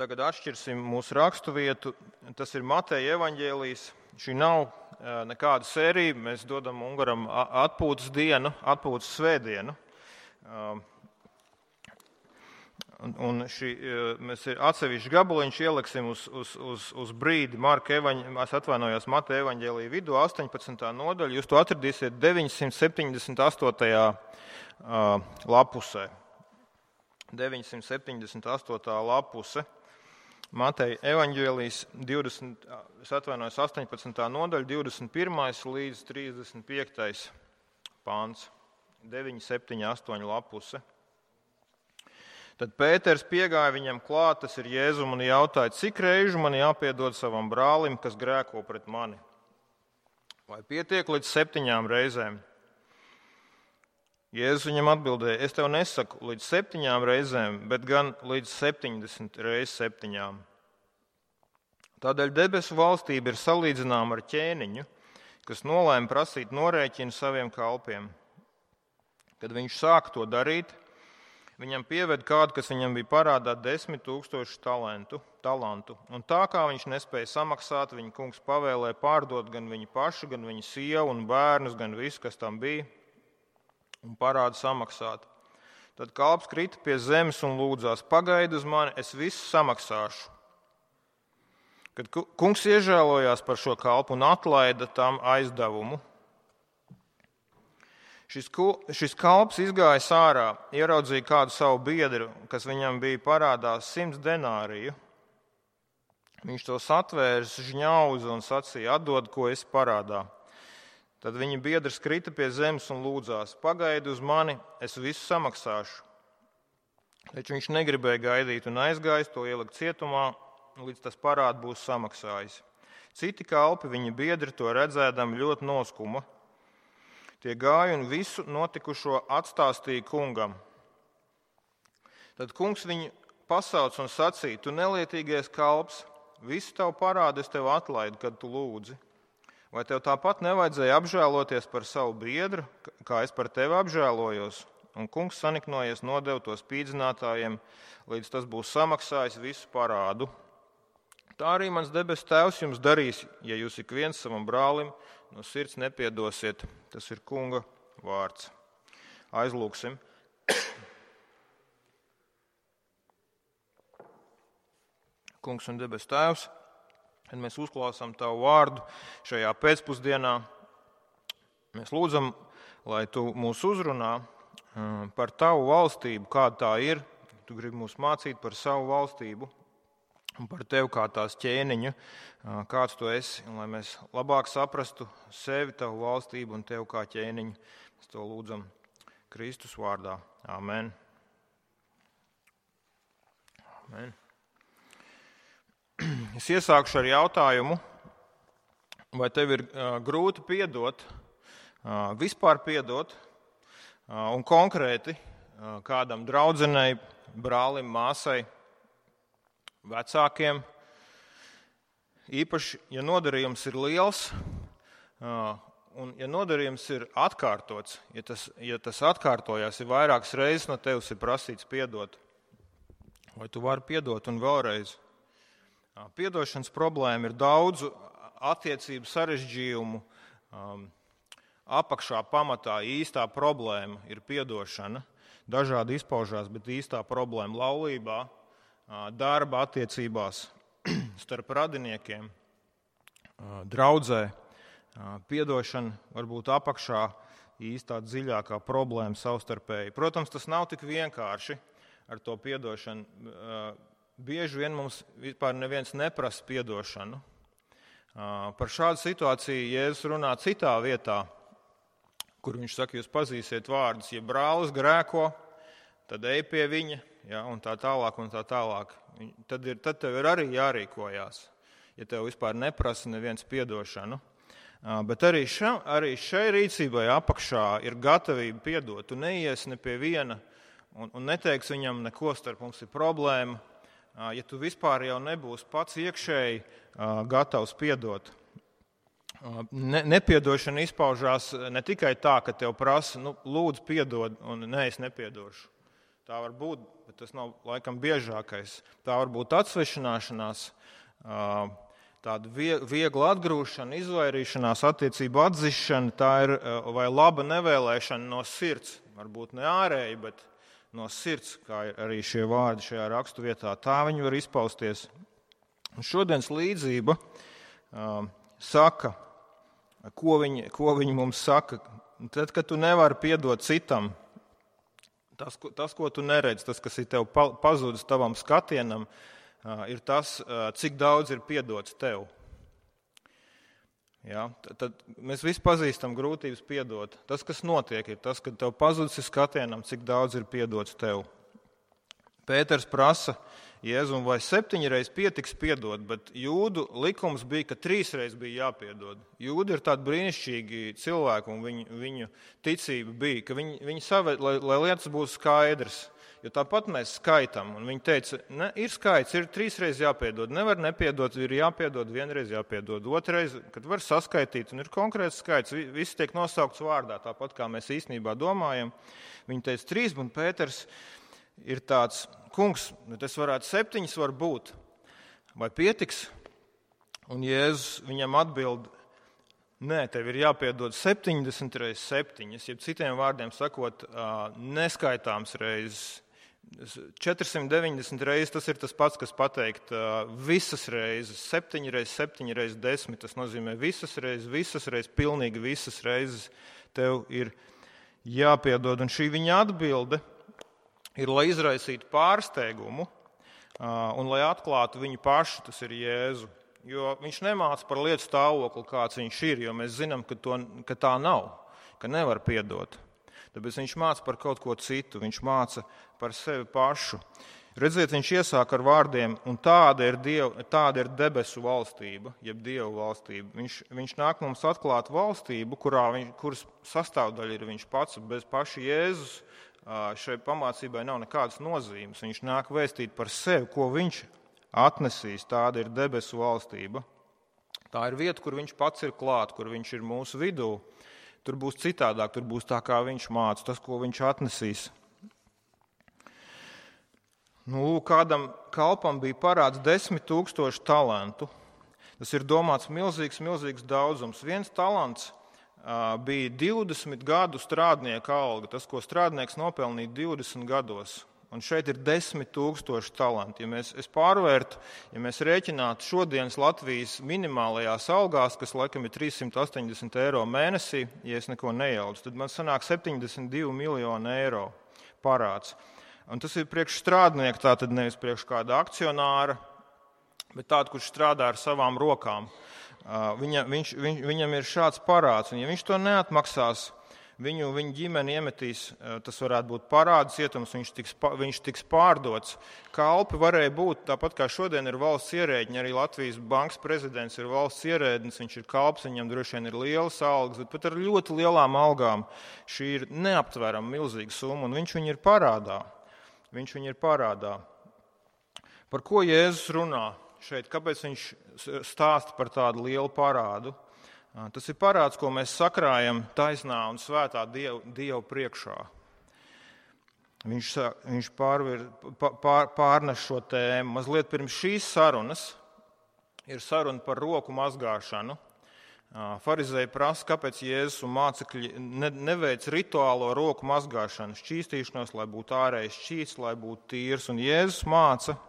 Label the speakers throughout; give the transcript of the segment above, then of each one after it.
Speaker 1: tagad atšķirsim mūsu raksturvietu. Tas ir Mateja evaņģēlijs. Šī nav nekāda sērija. Mēs dodam Ungaram atpūtas dienu, atpūtas svētdienu. Un mēs atsevišķi gabaliņš ieliksim uz brīdi Mateja evaņģēlija vidū, 18. nodaļa. Jūs to atradīsiet 978. lapusē. 978. lapuse. Mateja evaņģēlijs 18. nodaļa, 21. līdz 35. pāns. 978 lapuse. Tad Pēters piegāja viņam klāt, tas ir Jēzum, un jautāja, cik reižu man jāpiedod savam brālim, kas grēko pret mani? Vai pietiek līdz 7 reizēm? Jēzus viņam atbildēja, es tev nesaku līdz 7 reizēm, bet gan līdz 70 reizes 7. Tādēļ debesu valstība ir salīdzināma ar ķēniņu, kas nolēma prasīt norēķinu saviem kalpiem. Kad viņš sāka to darīt, viņam pieved kādu, kas viņam bija parādā 10 000 talantu. Un tā kā viņš nespēja samaksāt, viņa kungs pavēlēja pārdot gan viņu pašu, gan viņa sievu un bērnus, gan visu, kas tam bija, un parādu samaksāt. Tad kalps krita pie zemes un lūdzās, pagaidi uz mani, es visu samaksāšu. Kad kungs iežēlojās par šo kalpu un atlaida tam aizdevumu, šis kalps izgājis ārā, ieraudzīja kādu savu biedru, kas viņam bija parādā 100 denāriju. Viņš to satvērs, žņauza un sacīja, atdod, ko esi parādā. Tad viņa biedrs krita pie zemes un lūdzās, pagaidi uz mani, es visu samaksāšu. Taču viņš negribēja gaidīt un aizgājis to ielikt cietumā, līdz tas parādu būs samaksājis. Citi kalpi, viņa biedri to redzēdami ļoti noskuma. Tie gāja un visu notikušo atstāstīja kungam. Tad kungs viņu pasauc un sacīja, tu nelietīgais kalps, visu tavu parādu es tev atlaidu, kad tu lūdzi. Vai tev tāpat nevajadzēja apžēloties par savu biedru, kā es par tevi apžēlojos? Un kungs saniknojies nodeva to spīdzinātājiem, līdz tas būs samaksājis visu parādu. Tā arī mans debesu tēvs jums darīs, ja jūs ik viens savam brālim no sirds nepiedosiet. Tas ir kunga vārds. Aizlūksim. Kungs un debesu tēvs, kad mēs uzklausām tavu vārdu šajā pēcpusdienā, mēs lūdzam, lai tu mūs uzrunā par tavu valstību, kāda tā ir. Tu gribi mūs mācīt par savu valstību un par tevi kā tās ķēniņu, kāds tu esi, un lai mēs labāk saprastu sevi, tavu valstību un tevi kā ķēniņu. Mēs to lūdzam Kristus vārdā. Amen. Amen. Es iesākšu ar jautājumu, vai tev ir grūti piedot, vispār piedot, un konkrēti kādam draudzenei, brālim, māsai, vecākiem, īpaši, ja nodarījums ir liels, un ja nodarījums ir atkārtots, ja tas atkārtojās, ir vairākas reizes no tevis ir prasīts piedot, vai tu vari piedot un vēlreiz. Piedošanas problēma ir daudzu attiecību sarežģījumu, apakšā pamatā īstā problēma ir piedošana, dažādi izpaužās, bet īstā problēma laulībā, darba attiecībās starp radiniekiem, draudzē, piedošana varbūt apakšā īstā dziļākā problēma savstarpēji. Protams, tas nav tik vienkārši ar to piedošanu. Bieži vien mums vispār neviens neprasa piedošanu. Par šādu situāciju Jēzus runā citā vietā, kur viņš saka, jūs pazīsiet vārdus, ja brālis grēko, tad ej pie viņa, ja, un tā tālāk, un tā tālāk. Tad tev ir arī jārīkojās, ja tev vispār neprasa neviens piedošanu. Bet arī šai rīcībai apakšā ir gatavība piedot. Tu neies ne pie viena un neteiks viņam neko, starp mums ir problēma, ja tu vispār jau nebūsi pats iekšēji gatavs piedot. Nepiedošana izpaužās ne tikai tā, ka tev prasa, lūdzu piedod, un nē, es nepiedošu. Tā var būt, bet tas nav laikam biežākais. Tā var būt atsvešināšanās, tāda viegla atgrūšana, izvairīšanās, attiecību atzišana, tā ir vai laba nevēlēšana no sirds. Varbūt ne ārēji, bet no sirds, kā arī šie vārdi šajā raksturvietā. Tā viņi var izpausties. Un šodienas līdzība saka, ko viņi mums saka. Tad, kad tu nevari piedot citam, tas, ko tu neredzi, tas, kas ir tev pazudis tavam skatienam, ir tas, cik daudz ir piedots tev. Ja? Tad mēs visi pazīstam grūtības piedot. Tas, kas notiek, ir tas, ka tev pazudis skatienam, cik daudz ir piedots tev. Pēters prasa Jēzum, vai 7 reizes pietiks piedot, bet jūdu likums bija, ka 3 reizes bija jāpiedod. Jūdi ir tādi brīnišķīgi cilvēki, un viņu ticība bija, ka viņi saved, lai lietas būtu skaidrs. Jo tāpat mēs skaitām, un viņi teica, ne, ir skaits, ir 3 reizes jāpiedod, nevar nepiedot, ir jāpiedod, 1 reize jāpiedod, 2 reize, kad var saskaitīt, un ir konkrēts skaits, viss tiek nosaukts vārdā, tāpat kā mēs īstenībā domājam. Viņi teica 3, un Pēters ir tāds, kungs, tas varētu 7 var būt, vai pietiks? Un Jēzus viņam atbild, nē, tev ir jāpiedod 70 reizes 7, jeb citiem vārdiem sakot, neskaitāms reizes. 490 reizes tas ir tas pats, kas pateikt visas reizes, 7 reizes 7 reizes 10, tas nozīmē visas reizes, pilnīgi visas reizes tev ir jāpiedod. Un šī viņa atbilde ir, lai izraisītu pārsteigumu un lai atklātu viņu pašu, tas ir Jēzu. Jo viņš nemāca par lietu stāvokli, kāds viņš ir, jo mēs zinām, ka tā nav, ka nevar piedot. Tāpēc viņš māca par kaut ko citu, viņš māca par sevi pašu. Redziet, viņš iesāk ar vārdiem, un tāda ir debesu valstība, jeb Dievu valstība. Viņš nāk mums atklāt valstību, kuras sastāvdaļa ir viņš pats, bez paša Jēzus. Šai pamācībai nav nekādas nozīmes. Viņš nāk vēstīt par sevi, ko viņš atnesīs. Tāda ir debesu valstība. Tā ir vieta, kur viņš pats ir klāt, kur viņš ir mūsu vidū. Tur būs citādāk, tur būs tā, kā viņš māca, tas, ko viņš atnesīs. Kādam kalpam bija parāds 10 000 talantu. Tas ir domāts milzīgs daudzums. 1 talants bija 20 gadu strādnieka alga, tas, ko strādnieks nopelnīja 20 gados. Un šeit ir 10 000 talanti. Ja mēs rēķinātu šodienas Latvijas minimālajās algās, kas laikam ir 380 eiro mēnesī, ja es neko nejaucu, tad man sanāk 72 miljoni eiro parāds. Un tas ir priekš strādnieka, tātad nevis priekš kāda akcionāra, bet tāda, kurš strādā ar savām rokām. Viņam ir šāds parāds, un ja viņš to neatmaksās, viņu ģimeni iemetīs, tas varētu būt parādu cietums, viņš tiks pārdots. Kalpi varēja būt, tāpat kā šodien ir valsts ierēģiņi, arī Latvijas bankas prezidents ir valsts ierēdnis, viņš ir kalps, viņam droši vien ir lielas algas, bet pat ar ļoti lielām algām šī ir neaptverama milzīga summa, un viņš viņu ir parādā. Par ko Jēzus runā šeit? Kāpēc viņš stāsta par tādu lielu parādu? Tas ir parāds, ko mēs sakrājam taisnā un svētā Dieva priekšā. Viņš pārnes šo tēmu. Mazliet pirms šīs sarunas ir saruna par roku mazgāšanu. Farizēji prasa, kāpēc Jēzus un mācekļi neveic rituālo roku mazgāšanu, šķīstīšanos, lai būtu ārējais šķīsts, lai būtu tīrs. Un Jēzus māca,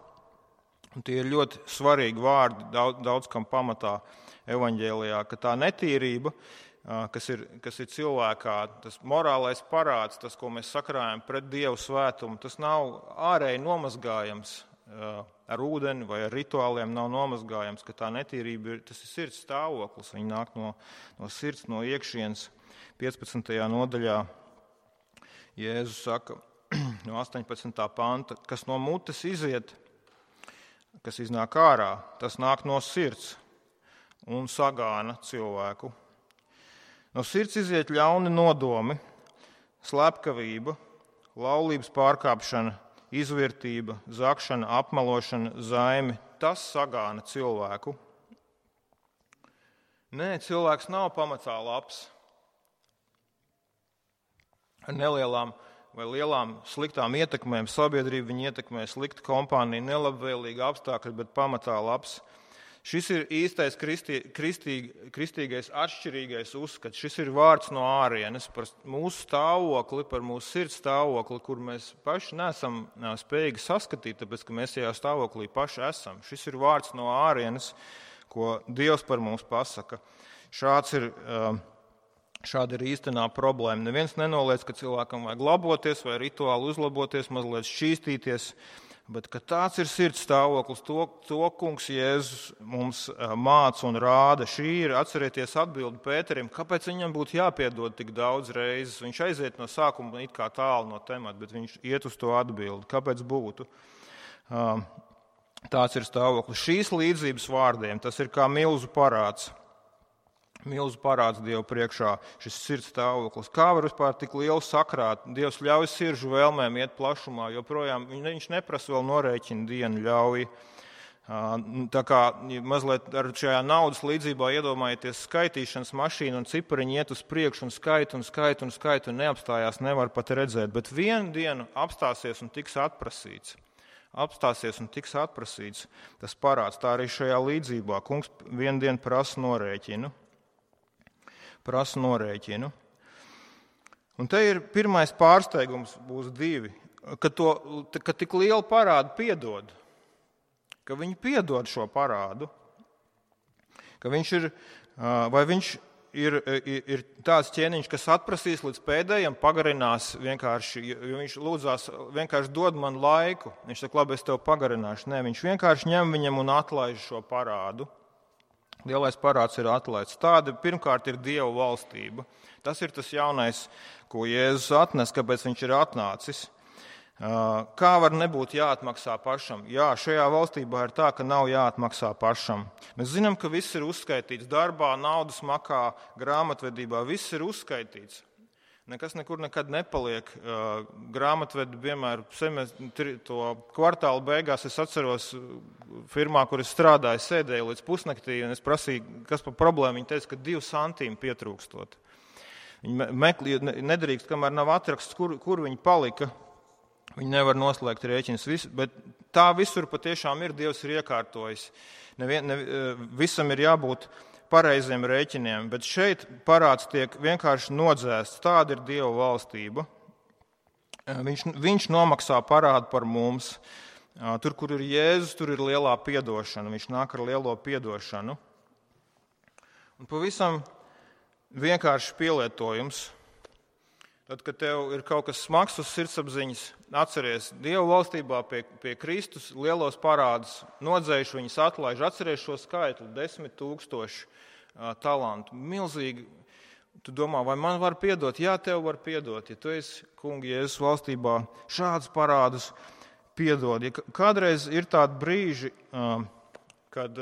Speaker 1: un tie ir ļoti svarīgi vārdi daudz kam pamatā evaņģēlijā, ka tā netīrība, kas ir cilvēkā, tas morālais parāds, tas, ko mēs sakrājam pret Dievu svētumu, tas nav ārēji nomazgājams ar ūdeni vai ar rituāliem, nav nomazgājams, ka tā netīrība tas ir sirds stāvoklis, viņa nāk no sirds, no iekšienes. 15. nodaļā Jēzus saka no 18. panta, kas no mutes iziet, kas iznāk ārā, tas nāk no sirds un sagāna cilvēku. No sirds iziet ļauni nodomi, slepkavība, laulības pārkāpšana, izvirtība, zakšana, apmelošana, zaimi. Tas sagāna cilvēku. Nē, cilvēks nav pamatā labs. Ar nelielām vai lielām sliktām ietekmēm sabiedrību, viņi ietekmē slikta kompānija, nelabvēlīga apstākļi, bet pamatā labs. Šis ir īstais kristīgais atšķirīgais uzskats. Šis ir vārds no ārienes par mūsu stāvokli, par mūsu sirds stāvokli, kur mēs paši neesam spējīgi saskatīt, tāpēc, ka mēs tajā stāvoklī paši esam. Šis ir vārds no ārienes, ko Dievs par mums pasaka. Šāda ir īstenā problēma. Neviens nenoliedz, ka cilvēkam vajag laboties vai rituāli uzlaboties, mazliet šķīstīties, bet ka tāds ir sirds stāvoklis, to kungs Jēzus mums māca un rāda. Šī ir, atcerieties, atbildi Pēterim, kāpēc viņam būtu jāpiedod tik daudz reizes. Viņš aiziet no sākuma it kā tālu no temata, bet viņš iet uz to atbildi. Kāpēc būtu? Tāds ir stāvoklis. Šīs līdzības vārdiem, tas ir kā milzu parāds. Milzu parāds Dievu priekšā, šis sirds stāvoklis. Kā var vispār tik lielu sakrāt? Dievs ļauj sirdžu vēlmēm iet plašumā, joprojām viņš neprasa vēl norēķina dienu, ļauj. Tā kā mazliet ar šajā naudas līdzībā iedomājieties skaitīšanas mašīnu un cipariņi iet uz priekšu un skait un neapstājās, nevar pat redzēt, bet vienu dienu apstāsies un tiks atprasīts. Tas parāds, tā arī šajā līdzībā. Kungs vienu dienu prasa norēķinu. Un te ir pirmais pārsteigums, būs divi, ka tik lielu parādu piedod, ka viņi piedod šo parādu, ka viņš ir tāds ķēniņš, kas atprasīs līdz pēdējiem, pagarinās vienkārši, jo viņš lūdzās, vienkārši dod man laiku, viņš saka, labi, es tev pagarināšu, nē, viņš vienkārši ņem viņam un atlaiž šo parādu. Lielais parāds ir atlaists. Tāda pirmkārt ir Dieva valstība. Tas ir tas jaunais, ko Jēzus atnes, kāpēc viņš ir atnācis. Kā var nebūt jāatmaksā pašam? Jā, šajā valstībā ir tā, ka nav jāatmaksā pašam. Mēs zinām, ka viss ir uzskaitīts darbā, naudas makā, grāmatvedībā. Viss ir uzskaitīts. Nekas nekur nekad nepaliek. Grāmatvedi vienmēr to kvartāla beigās, es atceros firmā, kur es strādāju, sēdēju līdz pusnaktī, un es prasīju, kas par problēmu. Viņi teica, ka 2 centīmi pietrūkstot. Viņi nedrīkst, kamēr nav atraksts, kur viņi palika. Viņi nevar noslēgt rēķinus, bet tā visur patiešām ir, Dievs ir iekārtojis. Visam ir jābūt pareiziem rēķiniem, bet šeit parāds tiek vienkārši nodzēsts. Tāda ir Dieva valstība. Viņš nomaksā parādu par mums. Tur, kur ir Jēzus, tur ir lielā piedošana. Viņš nāk ar lielo piedošanu. Un pavisam vienkārši pielietojums. Tad, kad tev ir kaut kas smags uz sirdsapziņas, atceries, Dieva valstībā pie Kristus lielos parādus nodzējuši, viņus atlaiž. Atceries šo skaitli, 10 000 talantu. Milzīgi. Tu domā, vai man var piedot? Jā, tev var piedot. Ja tu esi kunga Jēzus valstībā, šādus parādus piedod. Ja kādreiz ir tādi brīži, kad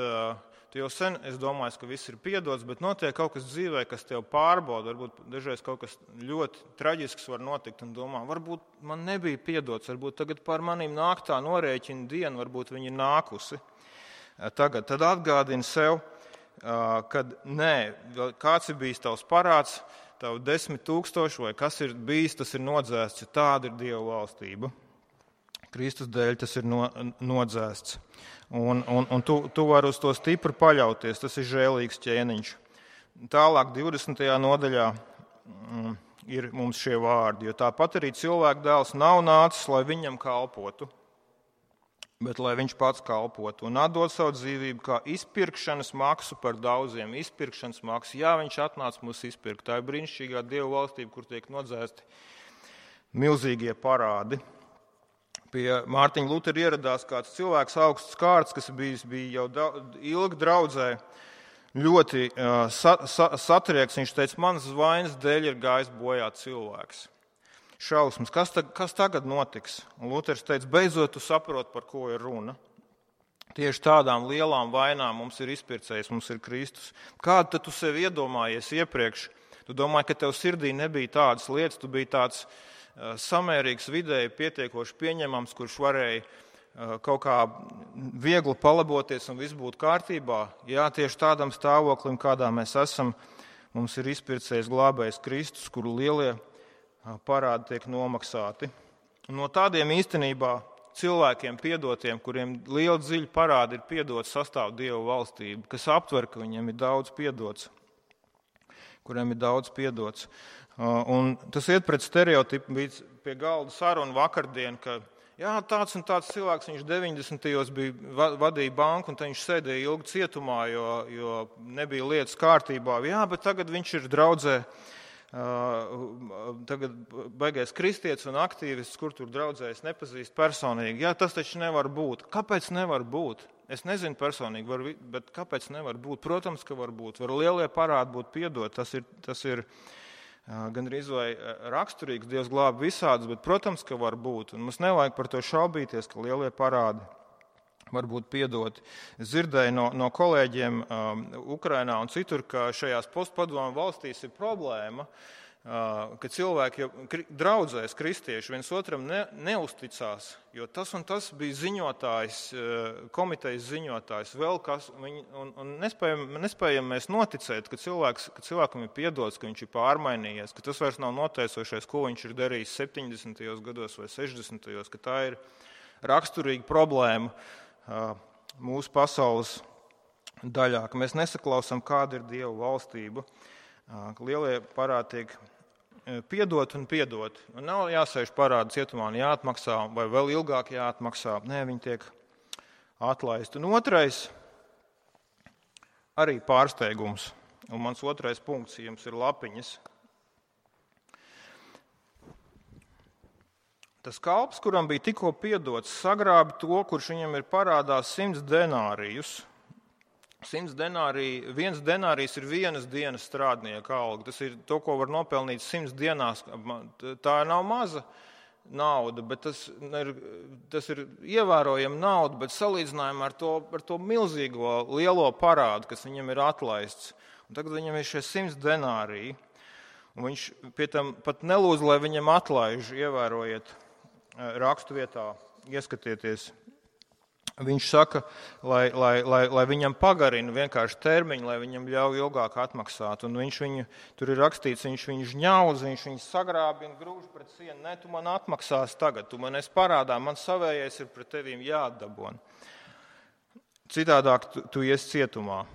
Speaker 1: tu jau sen, es domāju, ka viss ir piedots, bet notiek kaut kas dzīvē, kas tev pārbauda. Varbūt dažreiz kaut kas ļoti traģisks var notikt un domā, varbūt man nebija piedots, varbūt tagad par manīm nāk tā norēķina diena, varbūt viņa ir nākusi. Tagad tad atgādini sev, kad nē, kāds ir bijis tavs parāds, tavu 10 000 vai kas ir bijis, tas ir nodzēsts, jo tāda ir Dieva valstība. Kristus dēļ tas ir nodzēsts. Un tu vari uz to stipri paļauties, tas ir žēlīgs ķēniņš. Tālāk 20. nodaļā ir mums šie vārdi, jo tāpat arī cilvēka dēls nav nācis, lai viņam kalpotu, bet lai viņš pats kalpotu un atdod savu dzīvību kā izpirkšanas maksu par daudziem. Izpirkšanas maksu, jā, viņš atnāca mūs izpirkt. Tā ir brīnišķīgā Dieva valstība, kur tiek nodzēsti milzīgie parādi. Pie Mārtiņa Lutera ieradās kāds cilvēks augsts kārts, kas bija jau ilgi draudzē, ļoti satrieks. Viņš teica, manas vainas dēļ ir gājis bojā cilvēks. Šausmas, kas tagad notiks? Un Luters teica, beidzot tu saproti, par ko ir runa. Tieši tādām lielām vainām mums ir izpircējs, mums ir Kristus. Kādu tad tu sev iedomājies iepriekš? Tu domāji, ka tev sirdī nebija tādas lietas, tu biji tāds samērīgs, vidēji pietiekoši pieņemams, kurš varēja kaut kā viegli palaboties un viss būtu kārtībā. Jā, tieši tādam stāvoklim, kādā mēs esam, mums ir izpircējs glābējs Kristus, kuru lielie parādi tiek nomaksāti. No tādiem īstenībā cilvēkiem piedotiem, kuriem liela dziļa parādi ir piedot, sastāv Dieva valstība, kas aptver, ka viņiem ir daudz piedots, kuriem ir daudz piedots. Un tas iet pret stereotipu, bija pie galda saruna vakardien, ka jā, tāds un tāds cilvēks, viņš 90. vadīja banku, un viņš sēdēja ilgi cietumā, jo nebija lietas kārtībā. Jā, bet tagad viņš ir draudzē, tagad baigais kristietis un aktīvists, kur tur draudzē es nepazīstu personīgi. Jā, tas taču nevar būt. Kāpēc nevar būt? Es nezinu personīgi, bet kāpēc nevar būt? Protams, ka var būt. Var lielie parādi būt piedot. Tas ir gandrīz vai raksturīgs. Dievs glāb visādus, bet, protams, ka var būt. Un mums nevajag par to šaubīties, ka lielie parādi var būt piedoti. Es dzirdēju no kolēģiem Ukrainā un citur, ka šajās postpadomu valstīs ir problēma, ka cilvēki draudzēs kristieši viens otram neusticās, jo tas un tas bija ziņotājs, komitejas ziņotājs, vēl kas, un nespējam mēs noticēt, ka cilvēkam ir piedots, ka viņš ir pārmainījies, ka tas vairs nav noteicošais, ko viņš ir darījis 70. gados vai 60. ka tā ir raksturīga problēma mūsu pasaules daļā, ka mēs nesaklausām, kāda ir Dieva valstība, ka lielie parādi tiek piedot un piedot. Un nav jāsēž parādu cietumā un jāatmaksā, vai vēl ilgāk jāatmaksā. Nē, viņi tiek atlaisti. Un otrais, arī pārsteigums. Un mans otrais punkts jums ir lapiņas. Tas kalps, kuram bija tikko piedots, sagrābi to, kurš viņam ir parādās 100 denārijus. 100 denāriji, 1 denārijs ir vienas dienas strādnieka alga. Tas ir to, ko var nopelnīt 100 dienās. Tā nav maza nauda, bet tas ir ievērojama nauda, bet salīdzinājumā ar to milzīgo lielo parādu, kas viņam ir atlaists. Un tagad viņam ir šie 100 denāriji. Un viņš pie tam pat nelūdz, lai viņam atlaiž, ievērojiet rakstu vietā, ieskatieties. Viņš saka, lai viņam pagarina vienkārši termiņu, lai viņam ļauj ilgāk atmaksāt. Un tur ir rakstīts, viņš viņu žņauz, viņš viņu sagrābi un grūž pret sienu. Nē, tu man atmaksās tagad, tu man esi parādā, man savējais ir pret tevīm jāatdabon. Citādāk tu iesi cietumā.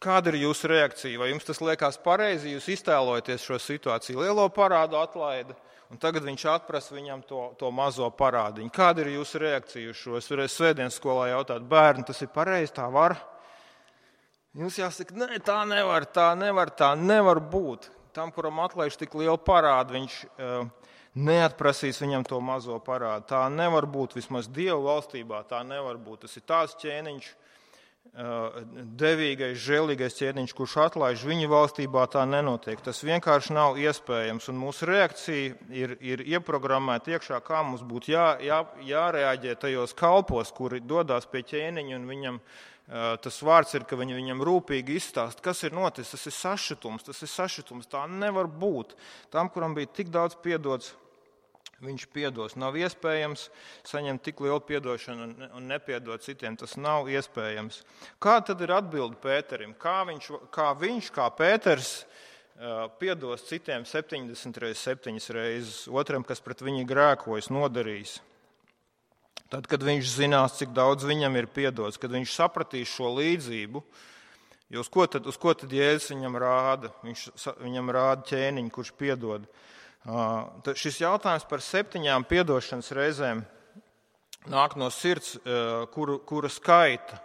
Speaker 1: Kāda ir jūsu reakcija? Vai jums tas liekas pareizi? Jūs iztēlojaties šo situāciju. Lielo parādu atlaida, un tagad viņš atprasa viņam to mazo parādiņu. Kāda ir jūsu reakcija uz šo? Es varēju svētdienas skolā jautāt, bērni, tas ir pareizi, tā var? Jūs jāsaka, nē, tā nevar būt. Tam, kuram atlaiž tik lielu parādu, viņš neatprasīs viņam to mazo parādu. Tā nevar būt, vismaz Dieva valstībā tā nevar būt. Tas ir tāds ķēniņš, devīgais, žēlīgais ķēniņš, kurš atlaiž, viņa valstībā tā nenotiek. Tas vienkārši nav iespējams. Un mūsu reakcija ir ieprogrammēta iekšā, kā mums būtu jārēģē tajos kalpos, kuri dodās pie ķēniņa, un viņam tas vārds ir, ka viņi viņam rūpīgi izstāst, kas ir noticis. Tas ir sašutums, tā nevar būt. Tam, kuram bija tik daudz piedots, viņš piedos. Nav iespējams saņemt tik lielu piedošanu un nepiedot citiem. Tas nav iespējams. Kā tad ir atbilde Pēterim? Kā viņš, kā Pēters, piedos citiem 70 reizes, 7 reizes, otram, kas pret viņu grēkojas, nodarījis? Tad, kad viņš zinās, cik daudz viņam ir piedots, kad viņš sapratīs šo līdzību, jo uz ko tad Jēzus viņam rāda? Viņam rāda ķēniņu, kurš piedod. Šis jautājums par 7 piedošanas reizēm nāk no sirds, kura skaita,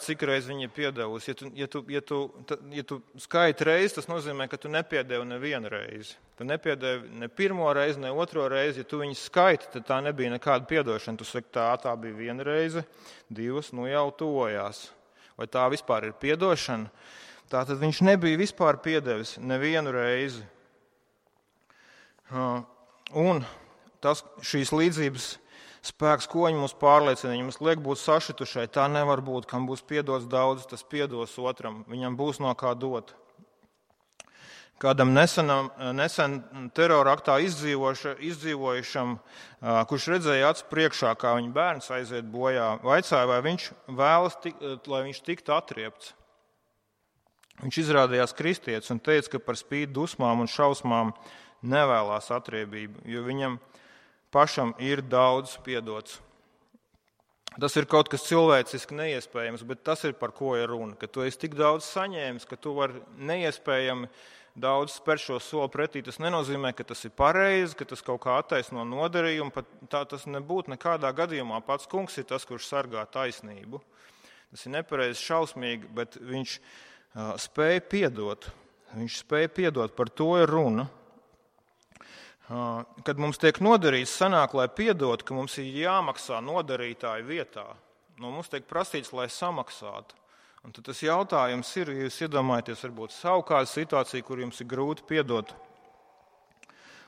Speaker 1: cik reiz viņa ir piedevusi. Ja tu skaiti reizi, tas nozīmē, ka tu nepiedevi nevienu reizi. Tu nepiedevi ne pirmo reizi, ne otro reizi. Ja tu viņu skaiti, tad tā nebija nekāda piedošana. Tu saki, tā bija 1 reize, 2, jau tuvojās. Vai tā vispār ir piedošana? Tātad viņš nebija vispār piedevis nevienu reizi. Un šīs līdzības spēks, ko viņi mums pārliecina, viņi mums liek būt sašitušai, tā nevar būt. Kam būs piedots daudz, tas piedos otram, viņam būs no kā dot. Kādam nesen teroraktā izdzīvojušam, kurš redzēja acu priekšā, kā viņa bērns aiziet bojā, vaicāja, vai viņš vēlas, lai viņš tiktu atriepts. Viņš izrādījās kristietis un teica, ka par spīti dusmām un šausmām nevēlās atriebību, jo viņam pašam ir daudz piedots. Tas ir kaut kas cilvēciski neiespējams, bet tas ir par ko ir runa. Ka tu esi tik daudz saņēmis, ka tu vari neiespējami daudz spērt šo soli pretī. Tas nenozīmē, ka tas ir pareizi, ka tas kaut kā attaisno nodarījumu. Pat tā tas nebūtu nekādā gadījumā. Pats kungs ir tas, kurš sargā taisnību. Tas ir nepareizi, šausmīgi, bet viņš spēja piedot. Viņš spēja piedot, par to ir runa. Kad mums tiek nodarīts, sanāk, lai piedot, ka mums ir jāmaksā nodarītāju vietā. No mums tiek prasīts, lai samaksātu. Un tad tas jautājums ir, ja jūs iedomājaties varbūt savu kādu situāciju, kur jums ir grūti piedot.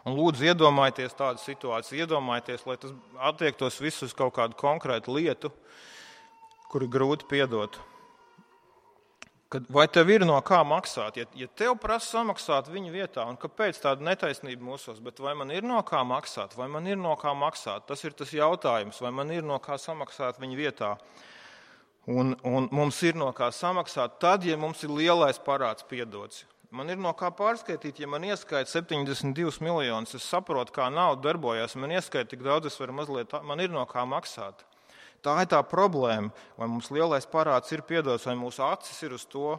Speaker 1: Un lūdzu iedomājieties tādu situāciju, iedomājieties, lai tas attiektos visus uz kaut kādu konkrētu lietu, kur ir grūti piedot. Vai tev ir no kā maksāt? Ja tev prasa samaksāt viņa vietā, un kāpēc tāda netaisnība mūsos, bet vai man ir no kā maksāt? Vai man ir no kā maksāt? Tas ir tas jautājums, vai man ir no kā samaksāt viņa vietā. Un mums ir no kā samaksāt tad, ja mums ir lielais parāds piedots. Man ir no kā pārskaitīt, ja man ieskaita 72 miljonus, es saprotu, kā nauda darbojas, man ieskaita tik daudz, es varu mazliet, man ir no kā maksāt. Tā ir tā problēma, vai mums lielais parāds ir piedots, vai mūsu acis ir uz to,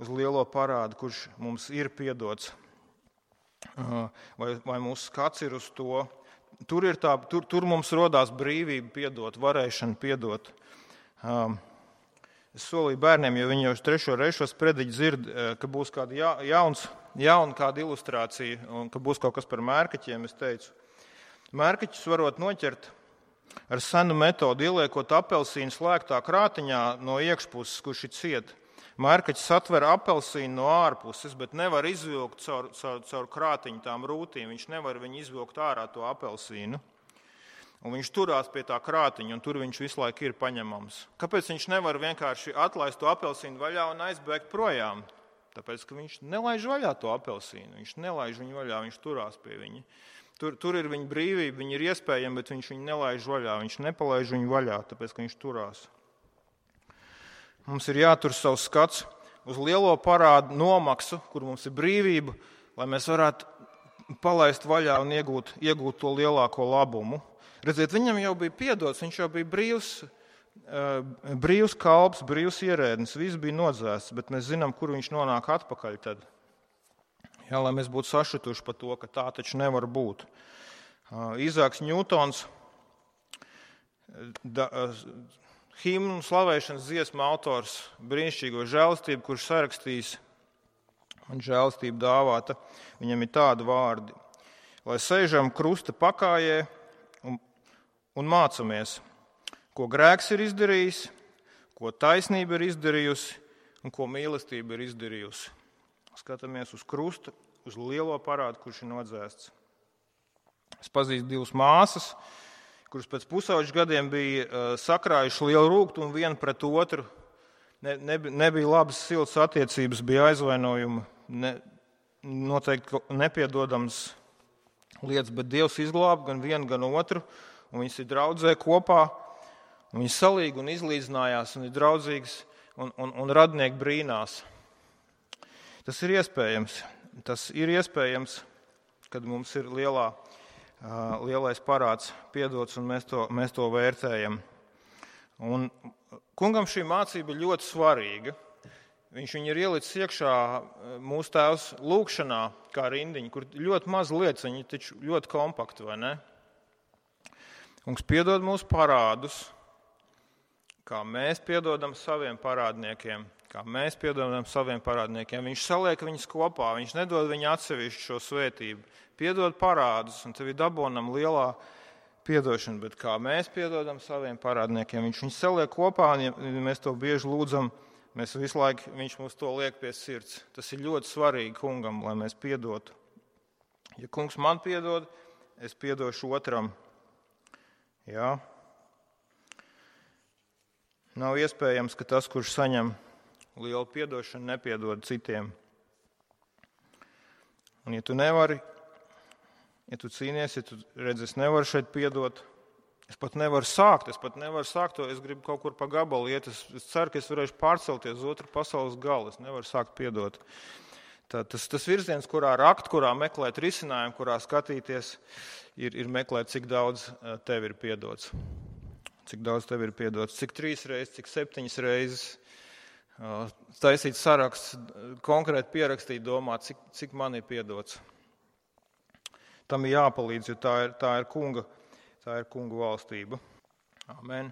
Speaker 1: uz lielo parādu, kurš mums ir piedots, vai mūsu skats ir uz to. Tur mums rodās brīvība piedot, varēšana piedot. Es solīju bērniem, jo viņi jau 3. reizi šos prediķus dzird, ka būs kāda jauna kāda ilustrācija, un ka būs kaut kas par mērkaķiem, es teicu. Mērkaķus varot noķert ar senu metodu, ieliekot apelsīnu slēgtā krātiņā no iekšpuses, kurš ir ciet. Mērkaķis atver apelsīnu no ārpuses, bet nevar izvilkt caur krātiņu tām rūtīm. Viņš nevar viņu izvilkt ārā to apelsīnu. Un viņš turās pie tā krātiņa, un tur viņš visu laiku ir paņemams. Kāpēc viņš nevar vienkārši atlaist to apelsīnu vaļā un aizbēgt projām? Tāpēc, ka viņš nelaiž vaļā to apelsīnu. Viņš nelaiž viņu vaļā, viņš turās pie viņa. Tur ir viņa brīvība, viņa ir iespējama, bet viņš viņu nelaiž vaļā. Viņš nepalaiž viņu vaļā, tāpēc, ka viņš turās. Mums ir jātur savs skats uz lielo parādu nomaksu, kur mums ir brīvība, lai mēs varētu palaist vaļā un iegūt to lielāko labumu. Redziet, viņam jau bija piedots, viņš jau bija brīvs kalps, brīvs ierēdnis, viss bija nodzēsts, bet mēs zinām, kur viņš nonāk atpakaļ tad. Jā, lai mēs būtu sašutuši par to, ka tā taču nevar būt. Izāks Ņūtons, himnu slavēšanas dziesmu autors, brīnišķīgo žēlastību, kurš sarakstījis man žēlastību dāvāta, viņam ir tādi vārdi. Lai sēžam krusta pakājē un mācamies, ko grēks ir izdarījis, ko taisnība ir izdarījusi un ko mīlestība ir izdarījusi. Skatāmies uz krustu, uz lielo parādu, kurš ir nodzēsts. Es pazīstu 2 māsas, kuras pēc pusauģu gadiem bija sakrājuši lielu rūgtu un viena pret otru. Nebija labas siltas attiecības, bija aizvainojumi, noteikti nepiedodams lietas, bet Dievs izglāba gan vienu, gan otru, un viņas ir draudzē kopā, un viņas salīgi un izlīdzinājās, un ir draudzīgas, un radnieki brīnās. Tas ir iespējams. Tas ir iespējams, kad mums ir lielais parāds piedots un mēs to vērtējam. Un kungam šī mācība ir ļoti svarīga. Viņš viņu ir ielicis iekšā mūsu tēvs lūkšanā kā rindiņa, kur ļoti maz lietas, viņi taču ļoti kompakti, vai ne? Kungs piedod mūsu parādus, kā mēs piedodam saviem parādniekiem. Kā mēs piedodam saviem parādniekiem. Viņš saliek viņus kopā, viņš nedod viņu atsevišķu šo svētību. Piedod parādus, un tev ir dabonam lielā piedošana, bet kā mēs piedodam saviem parādniekiem, viņš viņus saliek kopā, un ja mēs to bieži lūdzam, mēs visu laiku, viņš mums to liek pie sirds. Tas ir ļoti svarīgi kungam, lai mēs piedotu. Ja kungs man piedod, es piedošu otram. Jā. Nav iespējams, ka tas, kurš saņem lielu piedošanu, nepiedod citiem. Un ja tu nevari, ja tu cīnies, ja tu redzi, es nevaru šeit piedot, Es pat nevaru sākt to, es gribu kaut kur pa gabalu iet, es ceru, ka es varēšu pārcelties uz otru pasaules galu, es nevaru sākt piedot. Tas virziens, kurā rakt, kurā meklēt risinājumu, kurā skatīties, ir meklēt, cik daudz tev ir piedots. Cik daudz tev ir piedots, cik 3 reizes, cik 7 reizes. Taisīt saraksts, konkrēti pierakstīt, domāt, cik man ir piedots. Tam ir jāpalīdz, jo tā ir kunga valstība. Amen.